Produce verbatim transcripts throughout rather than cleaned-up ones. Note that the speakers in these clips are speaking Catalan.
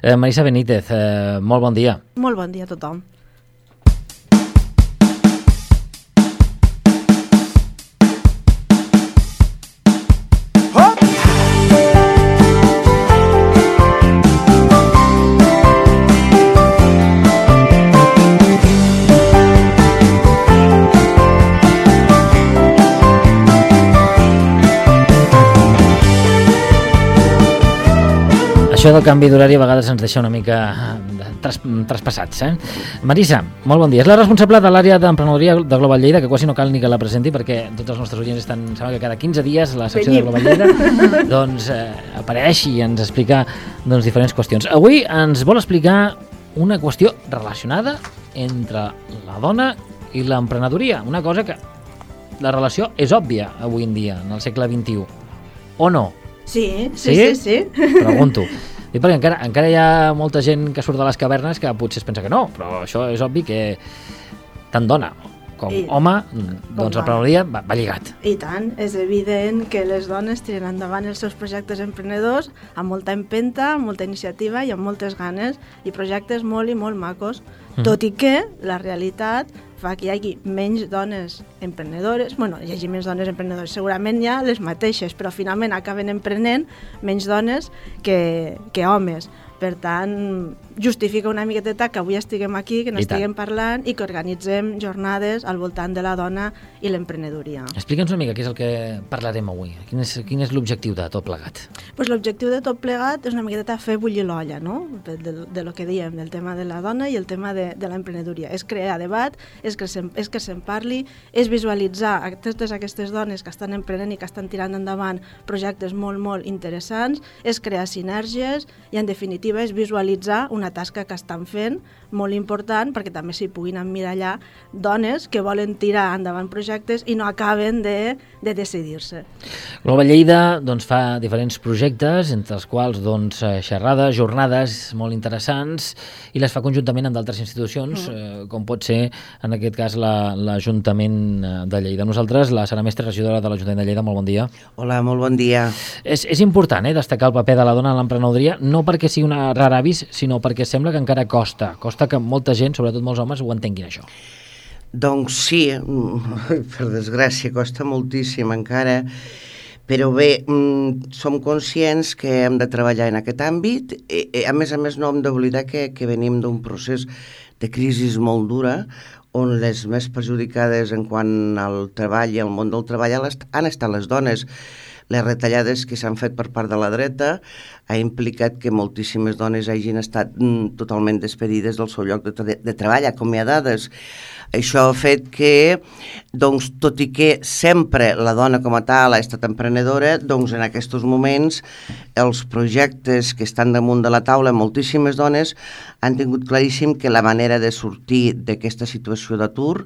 Eh, Marisa Benítez, eh, molt bon dia. Molt bon dia a tothom. Això del canvi d'horari a vegades ens deixa una mica tras, traspassats. Eh? Marisa, molt bon dia. És la responsable de l'àrea d'emprenedoria de Global Lleida, que quasi no cal ni que la presenti perquè tots els nostres oients estan, sembla que cada quinze dies la secció Venim. de Global Lleida doncs, eh, apareix i ens explica doncs, diferents qüestions. Avui ens vol explicar una qüestió relacionada entre la dona i l'emprenedoria. Una cosa que la relació és òbvia avui en dia, en el segle vint-i-u. O no? Sí, sí, sí. sí, sí. Pregunto. I perquè encara, encara hi ha molta gent que surt de les cavernes que potser es pensa que no, però això és obvi que tant dona com I, home, doncs l'emprenedoria va, va lligat. I tant, és evident que les dones tiren endavant els seus projectes emprenedors amb molta empenta, amb molta iniciativa i amb moltes ganes, i projectes molt i molt macos, mm. tot i que la realitat fa que hi hagi menys dones emprenedores, bueno, hi hagi menys dones emprenedores, segurament hi ha les mateixes, però finalment acaben emprenent menys dones que, que homes. Per tant, justifica una miqueteta que avui estiguem aquí, que n'estiguem parlant i que organitzem jornades al voltant de la dona i l'emprenedoria. Explica'ns una mica què és el que parlarem avui. Quin és, quin és l'objectiu de tot plegat? Pues l'objectiu de tot plegat és una miqueteta fer bullir l'olla, no? De, de, de lo que diem, del tema de la dona i el tema de, de l'emprenedoria. És crear debat, és que, se'n, és que se'n parli, és visualitzar a totes aquestes dones que estan emprenent i que estan tirant endavant projectes molt, molt interessants, és crear sinergies i, en definitiva, és visualitzar una tasca que estan fent molt important perquè també s'hi puguin emmirallar dones que volen tirar endavant projectes i no acaben de, de decidir-se. Global Lleida doncs, fa diferents projectes, entre els quals doncs, xerrades, jornades molt interessants, i les fa conjuntament amb d'altres institucions, mm. eh, com pot ser, en aquest cas, la, l'Ajuntament de Lleida. Nosaltres, la Sara Mestre, regidora de l'Ajuntament de Lleida, molt bon dia. Hola, molt bon dia. És, és important eh, destacar el paper de la dona en l'emprenedoria, no perquè sigui una rara avis, sinó perquè sembla que encara costa. Costa que molta gent, sobretot molts homes, ho entenguin, això. Doncs sí, per desgràcia, costa moltíssim encara, però bé, som conscients que hem de treballar en aquest àmbit. I, a més a més, no hem d'oblidar que, que venim d'un procés de crisi molt dura, on les més perjudicades en quant al treball i al món del treball han estat les dones. Les retallades que s'han fet per part de la dreta ha implicat que moltíssimes dones hagin estat mm, totalment despedides del seu lloc de, de treball, acomiadades. Això ha fet que, doncs, tot i que sempre la dona com a tal ha estat emprenedora, doncs en aquests moments els projectes que estan damunt de la taula, moltíssimes dones han tingut claríssim que la manera de sortir d'aquesta situació d'atur,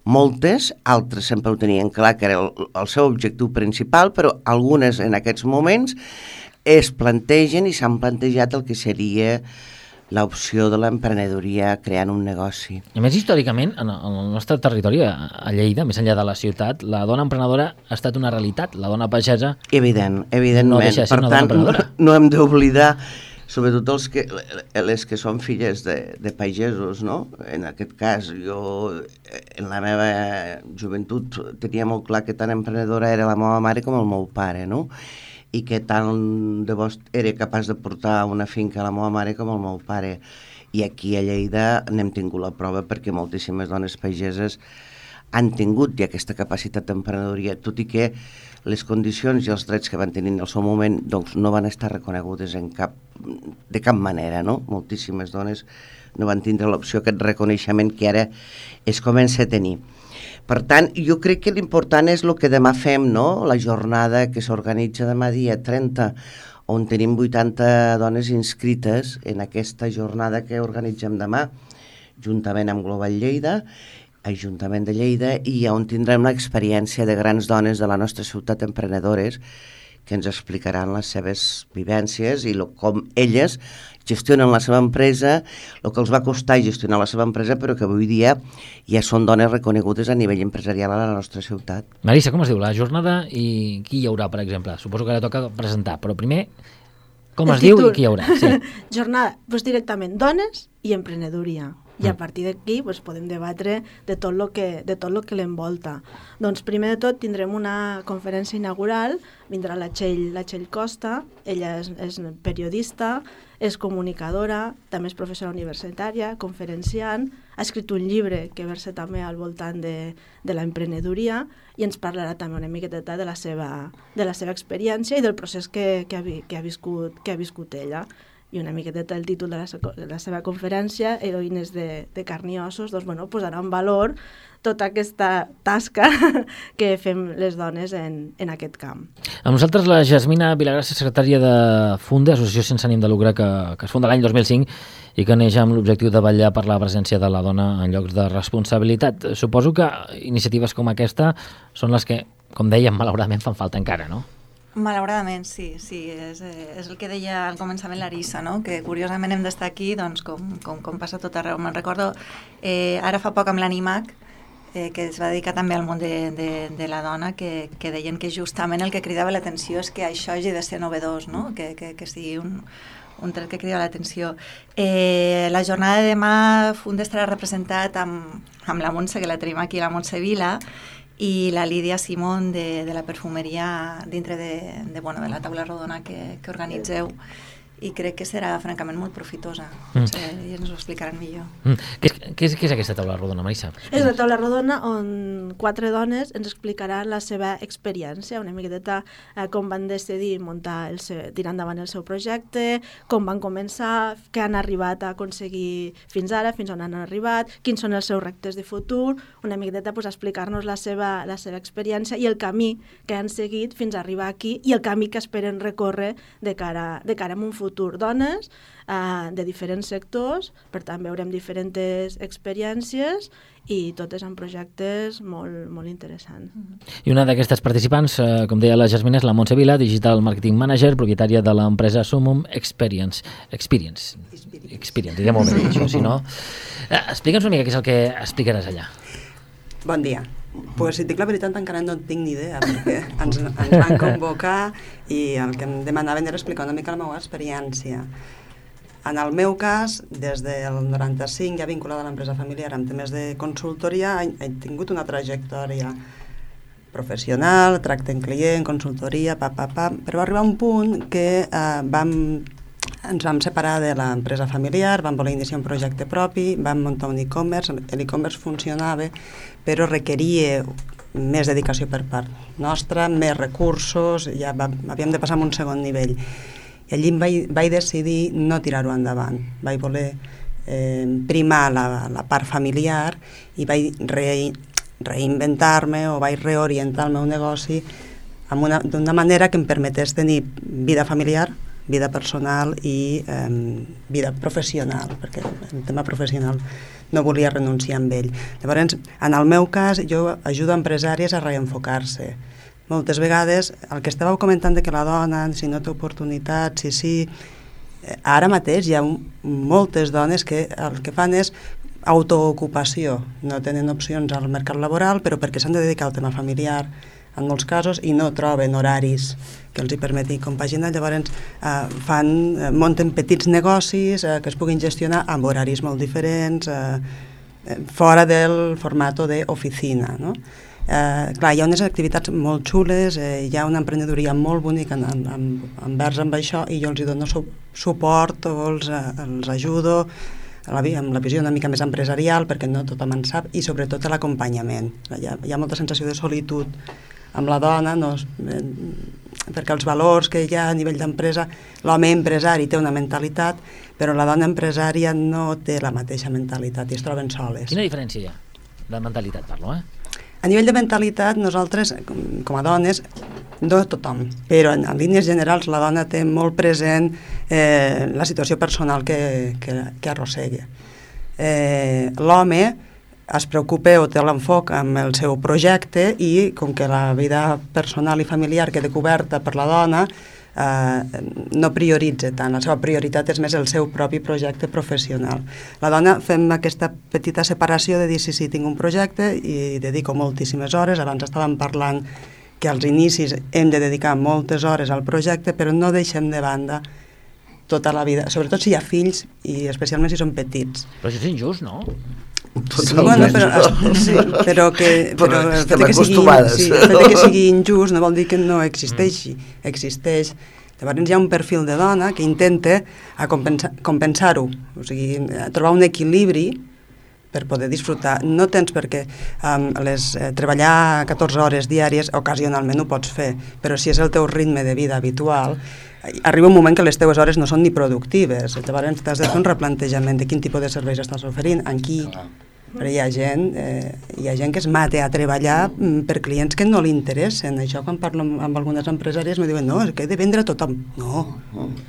moltes, altres sempre ho tenien clar que era el, el seu objectiu principal, però algunes en aquests moments es plantegen i s'han plantejat el que seria l'opció de l'emprenedoria creant un negoci. A més, històricament, en el nostre territori, a Lleida, més enllà de la ciutat, la dona emprenedora ha estat una realitat. La dona pagesa Evident, evidentment. No deixa de ser una dona emprenedora. No, no hem d'oblidar, sobretot els que, les que són filles de, de pagesos, no? En aquest cas, jo en la meva joventut tenia molt clar que tan emprenedora era la meva mare com el meu pare, no? I que tant de bo era capaç de portar una finca a la meva mare com el meu pare. I aquí a Lleida n'hem tingut la prova perquè moltíssimes dones pageses han tingut ja aquesta capacitat d'emprenedoria, tot i que les condicions i els drets que van tenir en el seu moment doncs, no van estar reconegudes en cap, de cap manera, no? Moltíssimes dones no van tindre l'opció, aquest reconeixement que ara es comença a tenir. Per tant, jo crec que l'important és el que demà fem, no? La jornada que s'organitza demà dia trenta, on tenim vuitanta dones inscrites en aquesta jornada que organitzem demà, juntament amb Global Lleida, Ajuntament de Lleida, i on tindrem l'experiència de grans dones de la nostra ciutat emprenedores que ens explicaran les seves vivències i lo, com elles gestionen la seva empresa, el que els va costar gestionar la seva empresa, però que avui dia ja són dones reconegudes a nivell empresarial a la nostra ciutat. Marisa, com es diu la jornada i qui hi haurà, per exemple? Suposo que ara toca presentar, però primer Com es diu i qui hi haurà? Sí. Jornada, doncs directament, dones i emprenedoria. I a partir d'aquí doncs, podem debatre de tot el que, de tot lo que l'envolta. Doncs primer de tot tindrem una conferència inaugural, vindrà la Txell, la Txell Costa, ella és, és periodista, és comunicadora, també és professora universitària, conferenciant, ha escrit un llibre que versa també al voltant de, de l'emprenedoria i ens parlarà també una miqueta de la seva, de la seva experiència i del procés que, que, ha, que, ha viscut, que ha viscut ella. I una miqueta el títol de la, de la seva conferència, Heroïnes de, de carn i ossos, doncs, bueno, posarà en valor tota aquesta tasca que fem les dones en, en aquest camp. Amb nosaltres la Jasmina Vilagrassa, secretària de Funde, associació sense ànim de lucre que, que es funda l'any dos mil cinc i que neix amb l'objectiu de vetllar per la presència de la dona en llocs de responsabilitat. Suposo que iniciatives com aquesta són les que, com dèiem, malauradament fan falta encara, no? Malauradament, sí, sí, és, és el que deia al començament l'Arissa, no? Que curiosament hem d'estar aquí doncs, com, com, com passa tot arreu. Me'n recordo eh, ara fa poc amb l'Animac, eh, que es va dedicar també al món de, de, de la dona, que, que deien que justament el que cridava l'atenció és que això hagi de ser novedós, no? que, que, que sigui un, un tret que crida l'atenció. Eh, la jornada de demà Funde estarà representat amb, amb la Montse, que la tenim aquí, la Montse Vila, i la Lídia Simón de, de la perfumeria dintre de, de, bueno, de la taula rodona que, que organitzeu, i crec que serà francament molt profitosa. Mm. Potser ells ens ho explicaran millor. Mm. Què, és, què, és, què és aquesta taula rodona, Marissa? És una taula rodona on quatre dones ens explicaran la seva experiència, una miqueta eh, com van decidir muntar el seu, tirar endavant el seu projecte, com van començar, què han arribat a aconseguir fins ara, fins on han arribat, quins són els seus reptes de futur, una miqueta pues, explicar-nos la seva, la seva experiència i el camí que han seguit fins a arribar aquí i el camí que esperen recórrer de cara, de cara a un futur. futur dones eh, de diferents sectors, per tant veurem diferents experiències i totes amb projectes molt, molt interessants. I una d'aquestes participants, eh, com deia la Jasmina, és la Montse Vila, Digital Marketing Manager, propietària de l'empresa Sumum Experience. Experience. Experience. Experience, diré molt bé això, si no. Eh, Explica'ns una mica què és el que explicaràs allà. Bon dia. Pues, si et dic la veritat, encara no en tinc ni idea, perquè ens, ens van convocar i el que em demanaven era explicar una mica la meva experiència. En el meu cas, des del noranta-cinc, ja vinculada a l'empresa familiar amb temes de consultoria, he, he tingut una trajectòria professional, tracte en client, consultoria, pa, pa, pa, però va arribar un punt que eh, vam, ens vam separar de l'empresa familiar, vam voler iniciar un projecte propi, vam muntar un e-commerce, l'e-commerce funcionava, però requeria més dedicació per part nostra, més recursos, ja va, havíem de passar a un segon nivell. I allí vaig, vaig decidir no tirar-ho endavant. Vaig voler eh, primar la, la part familiar i vaig re, reinventar-me o vaig reorientar el meu negoci d'una manera que em permetés tenir vida familiar, vida personal i eh, vida professional, perquè el tema professional no volia renunciar amb ell. Llavors, en el meu cas, jo ajudo empresàries a reenfocar-se. Moltes vegades, el que estàveu comentant de que la dona, si no té oportunitats, si sí, ara mateix hi ha moltes dones que el que fan és autoocupació, no tenen opcions al mercat laboral, però perquè s'han de dedicar al tema familiar, en molts casos, i no troben horaris que els hi permetin compaginar, llavors eh, fan, eh, munten petits negocis eh, que es puguin gestionar amb horaris molt diferents, eh, fora del format d'oficina, no? Eh, clar, hi ha unes activitats molt xules, eh, hi ha una emprenedoria molt bonica en, en, envers amb això, i jo els hi dono su suport o els, els ajudo la, amb la visió una mica més empresarial, perquè no tothom en sap, i sobretot l'acompanyament. Hi, hi ha molta sensació de solitud amb la dona, no, eh, perquè els valors que hi ha a nivell d'empresa, l'home empresari té una mentalitat, però la dona empresària no té la mateixa mentalitat i es troben soles. Quina diferència hi ha? De mentalitat parlo, eh? A nivell de mentalitat, nosaltres, com, com a dones, no tothom, però en, en línies generals la dona té molt present eh, la situació personal que, que, que arrossega. Eh, L'home es preocupa o té l'enfoc amb el seu projecte i com que la vida personal i familiar queda coberta per la dona, eh, no prioritza tant, la seva prioritat és més el seu propi projecte professional. La dona fem aquesta petita separació de dir sí, sí, tinc un projecte i dedico moltíssimes hores, abans estàvem parlant que als inicis hem de dedicar moltes hores al projecte, però no deixem de banda tota la vida, sobretot si hi ha fills i especialment si són petits. Però això és injust, no? Sí, bueno, però, sí, però que, però el fet que sigui, sí, el fet que sigui injust no vol dir que no existeixi, existeix. Llavors hi ha un perfil de dona que intenta a compensar, compensar-ho, o sigui, trobar un equilibri per poder disfrutar. No tens perquè um, les, eh, treballar catorze hores diàries ocasionalment ho pots fer, però si és el teu ritme de vida habitual, arriba un moment que les teves hores no són ni productives. Llavors t'has de fer un replantejament de quin tipus de serveis estàs oferint, en qui. Però hi ha gent, eh, hi ha gent que es mata a treballar per clients que no li interessen. Això quan parlo amb, amb algunes empresàries me diuen no, és que he de vendre a tothom. No,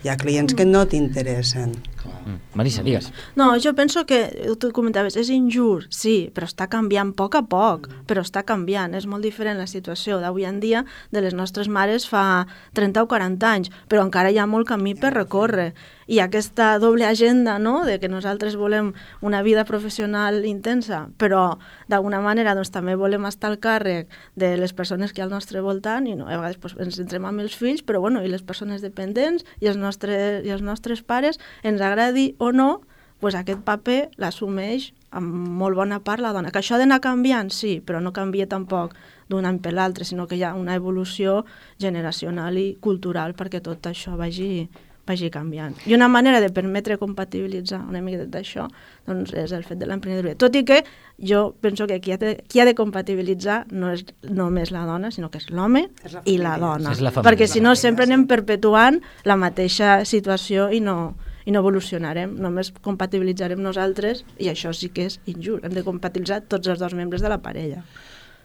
hi ha clients que no t'interessen. Mm. Marisa, digues. No, jo penso que, tu comentaves, és injust, sí, però està canviant a poc a poc, però està canviant. És molt diferent la situació d'avui en dia de les nostres mares fa trenta o quaranta anys, però encara hi ha molt camí per recórrer. I aquesta doble agenda, no?, de que nosaltres volem una vida professional intensa, però d'alguna manera doncs, també volem estar al càrrec de les persones que hi ha al nostre voltant i no, a vegades doncs, ens centrem amb els fills, però bueno, i les persones dependents i els nostres, i els nostres pares, ens agradi o no, doncs aquest paper l'assumeix amb molt bona part la dona. Que això ha d'anar canviant, sí, però no canvia tampoc d'un any per l'altre, sinó que hi ha una evolució generacional i cultural perquè tot això vagi... vagi canviant. I una manera de permetre compatibilitzar una mica d'això doncs és el fet de l'emprenedoria. Tot i que jo penso que qui ha de, qui ha de compatibilitzar no és només la dona, sinó que és l'home i la dona. La perquè si no sempre anem perpetuant la mateixa situació i no, i no evolucionarem. Només compatibilitzarem nosaltres i això sí que és injust. Hem de compatibilitzar tots els dos membres de la parella.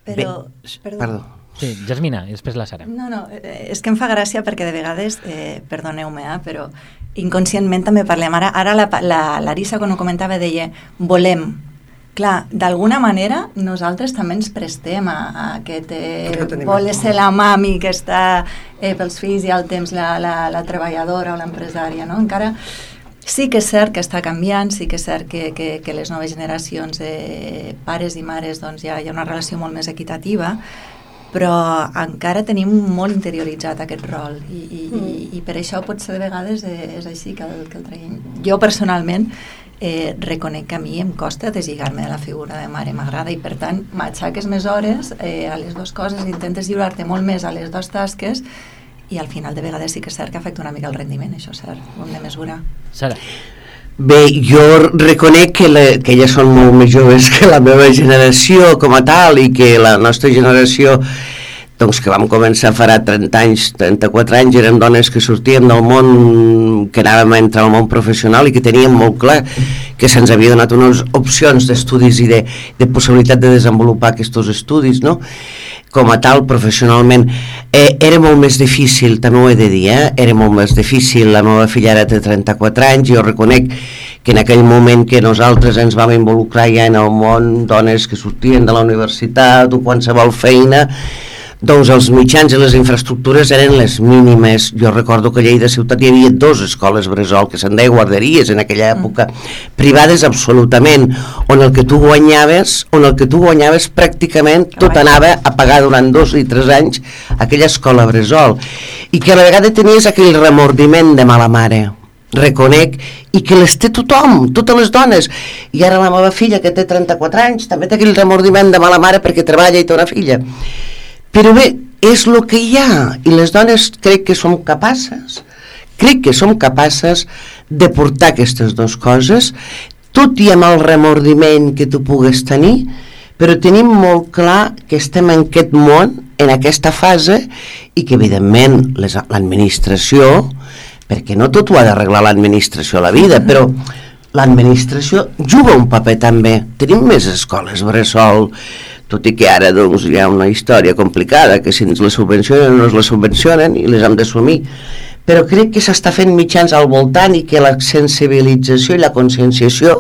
Però... Perdó. Perdó. Sí, Jasmina, i després la Sara. No, no, és que em fa gràcia perquè de vegades, eh, perdoneu-me, eh, però inconscientment també parlem. Ara, ara la, la Larissa, quan ho comentava, deia volem. Clar, d'alguna manera nosaltres també ens prestem a, a aquest eh, voler ser la mami que està eh, pels fills i al temps la, la, la treballadora o l'empresària, no? Encara sí que és cert que està canviant, sí que és cert que, que, que les noves generacions de pares i mares doncs ja hi ha una relació molt més equitativa, però encara tenim molt interioritzat aquest rol i, i, mm. i, i per això potser de vegades és així que el, que el traiem. Jo personalment eh, reconec que a mi em costa deslligar-me de la figura de mare, m'agrada i per tant m'aixaques més hores eh, a les dues coses, intentes lliurar-te molt més a les dues tasques i al final de vegades sí que és cert que afecta una mica el rendiment, això és cert, ho hem de mesurar. Sara. Bé, jo reconec que, la, que elles són molt més joves que la meva generació com a tal i que la nostra generació doncs que vam començar farà trenta anys, trenta-quatre anys, érem dones que sortíem del món, que anàvem a entrar al món professional i que teníem molt clar que se'ns havia donat unes opcions d'estudis i de, de possibilitat de desenvolupar aquests estudis, no?, com a tal, professionalment. Eh, era molt més difícil, també ho he de dir, eh? era molt més difícil, la meva filla ara té trenta-quatre anys, jo reconec que en aquell moment que nosaltres ens vam involucrar ja en el món, dones que sortien de la universitat o qualsevol feina, doncs els mitjans i les infraestructures eren les mínimes. Jo recordo que a Lleida ciutat hi havia dues escoles bressol, que se'n deia guarderies en aquella època, mm. privades absolutament, on el que tu guanyaves, on el que tu guanyaves pràcticament tot anava a pagar durant dos i tres anys aquella escola bressol, i que a la vegada tenies aquell remordiment de mala mare, reconec, i que les té tothom, totes les dones, i ara la meva filla que té trenta-quatre anys també té aquell remordiment de mala mare perquè treballa i té una filla. Però bé, és el que hi ha, i les dones crec que som capaces, crec que som capaces de portar aquestes dues coses, tot i amb el remordiment que tu pugues tenir, però tenim molt clar que estem en aquest món, en aquesta fase, i que evidentment les, l'administració, perquè no tot ho ha d'arreglar l'administració a la vida, però l'administració juga un paper també. Tenim més escoles bressol, tot i que ara doncs, hi ha una història complicada, que si ens les subvencionen o no ens les subvencionen i les hem d'assumir, però crec que s'està fent mitjans al voltant i que la sensibilització i la conscienciació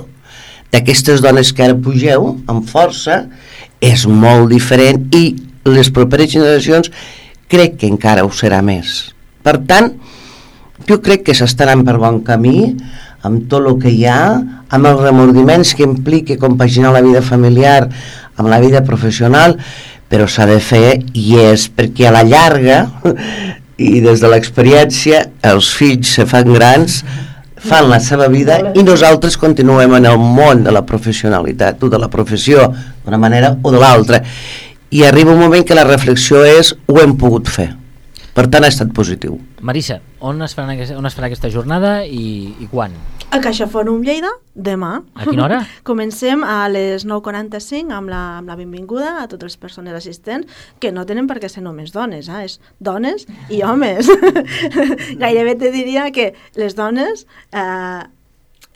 d'aquestes dones que ara pugeu amb força és molt diferent i les properes generacions crec que encara ho serà més. Per tant, jo crec que s'està anant per bon camí amb tot el que hi ha, amb els remordiments que implica compaginar la vida familiar amb la vida professional, però s'ha de fer i és perquè a la llarga i des de l'experiència els fills se fan grans, fan la seva vida i nosaltres continuem en el món de la professionalitat o de la professió d'una manera o de l'altra, i arriba un moment que la reflexió és ho hem pogut fer, per tant ha estat positiu. Marissa, on es farà, on es farà aquesta jornada i, i quan? A Caixa Fòrum Lleida, demà. A quina hora? Comencem a les nou quaranta-cinc amb la, amb la benvinguda a totes les persones assistents, que no tenen per què ser només dones, eh? És dones i homes. Gairebé te diria que les dones eh,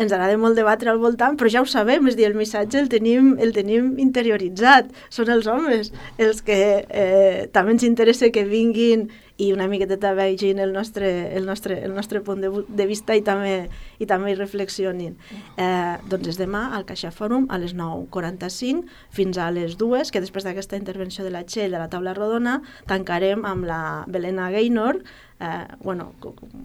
ens agrada molt debatre al voltant, però ja ho sabem, és dir, el missatge el tenim, el tenim interioritzat. Són els homes els que eh, també ens interessa que vinguin i una miqueta vegin el nostre, el nostre, el nostre punt de, de vista i també, i també hi reflexionin. Eh, doncs és demà al Caixa Fòrum a les nou quaranta-cinc fins a les dues, que després d'aquesta intervenció de la Txell de la taula rodona tancarem amb la Belena Gaynor. Eh, bueno,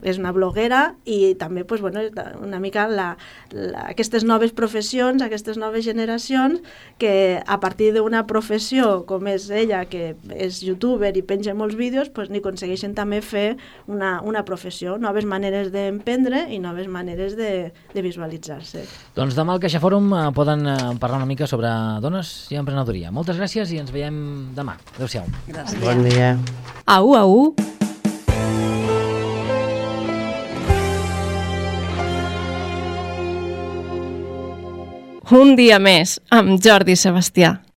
és una bloguera i també pues, bueno, una mica la, la, aquestes noves professions, aquestes noves generacions que a partir d'una professió com és ella, que és youtuber i penja molts vídeos, pues, ni aconsegueixen també fer una, una professió, noves maneres d'emprendre i noves maneres de, de visualitzar-se. Doncs demà al Caixa Fòrum eh, poden eh, parlar una mica sobre dones i emprenedoria. Moltes gràcies i ens veiem demà. Adéu-siau. Gràcies. Bon dia. Au, au. Un dia més amb Jordi Sebastià.